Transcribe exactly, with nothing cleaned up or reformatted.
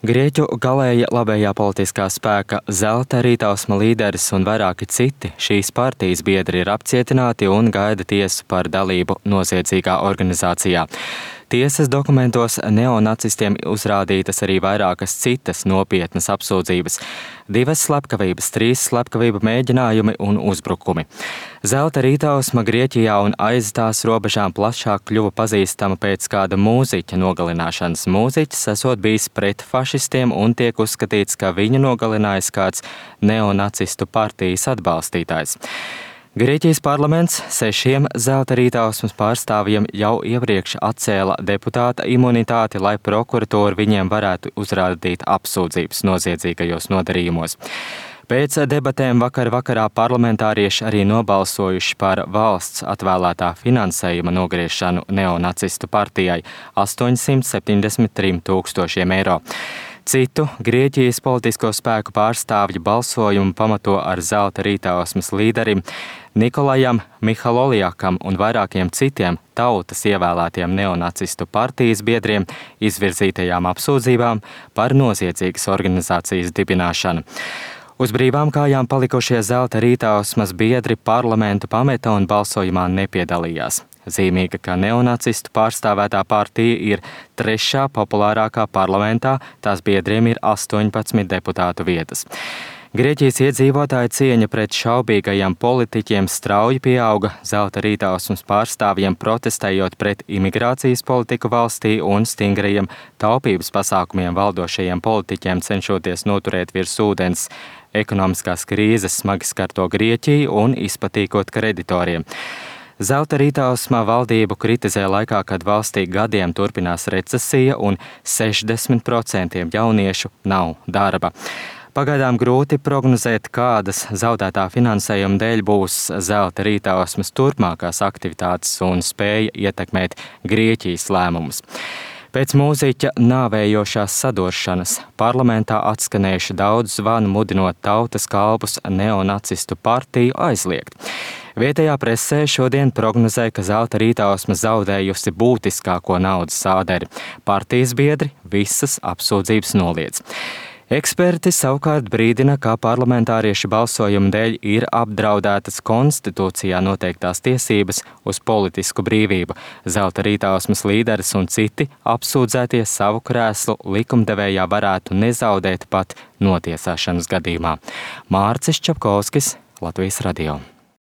Grieķu galēja labējā politiskā spēka Zelta Rītausma līderis un vairāki citi šīs partijas biedri ir apcietināti un gaida tiesu par dalību noziedzīgā organizācijā. Tiesas dokumentos neonacistiem uzrādītas arī vairākas citas nopietnas apsūdzības – divas slepkavības, trīs slepkavību mēģinājumi un uzbrukumi. Zelta Rītausma Grieķijā un aiz tās robežām plašāk kļuva pazīstama pēc kāda mūziķa nogalināšanas. Mūziķis esot bijis pret fašistiem un tiek uzskatīts, ka viņu nogalinājis kāds neonacistu partijas atbalstītājs. Grieķijas parlaments sešiem Zelta Rītausmas pārstāvjiem jau iepriekš atcēla deputāta imunitāti, lai prokuratūra viņiem varētu uzrādīt apsūdzības noziedzīgajos nodarījumos. Pēc debatēm vakar vakarā parlamentārieši arī nobalsojuši par valsts atvēlētā finansējuma nogriešanu neonacistu partijai astoņsimt septiņdesmit trim tūkstošiem eiro. Citu Grieķijas politisko spēku pārstāvju balsojumu pamato ar Zelta Rītausmas līderim Nikolajam Mihaloliakam un vairākiem citiem tautas ievēlētiem neonacistu partijas biedriem izvirzītajām apsūdzībām par noziedzīgas organizācijas dibināšanu. Uz brīvām kājām palikušie Zelta Rītausmas biedri parlamentu pameta un balsojumā nepiedalījās. Zīmīga, ka neonacistu pārstāvētā partija ir trešā populārākā parlamentā, tās biedriem ir astoņpadsmit deputātu vietas. Grieķijas iedzīvotāju cieņa pret šaubīgajiem politiķiem strauji pieauga, Zelta Rītausmas pārstāvjiem protestējot pret imigrācijas politiku valstī un stingrajiem taupības pasākumiem valdošajiem politiķiem cenšoties noturēt virs ūdens ekonomiskās krīzes smagi skarto Grieķiju un izpatīkot kreditoriem. Zelta Rītausma valdību kritizē laikā, kad valstī gadiem turpinās recesija un sešdesmit procenti jauniešu nav darba. Pagaidām grūti prognozēt, kādas zaudētā finansējuma dēļ būs Zelta Rītausmas turpmākās aktivitātes un spēja ietekmēt Grieķijas lēmumus. Pēc mūziķa nāvējošās saduršanas parlamentā atskanējuši daudz zvanu mudinot tautas kalpus neonacistu partiju aizliegt. Vietējā presē šodien prognozē, ka Zelta Rītausma zaudējusi būtiskāko naudas sāderi. Partijas biedri visas apsūdzības noliedz. Eksperti savukārt brīdina, ka parlamentāriešu balsojuma dēļ ir apdraudētas konstitūcijā noteiktās tiesības uz politisku brīvību. Zelta Rītausmas līderis un citi apsūdzētie savu krēslu likumdevējā varētu nezaudēt pat notiesāšanas gadījumā. Mārcis Čapkovskis, Latvijas radio.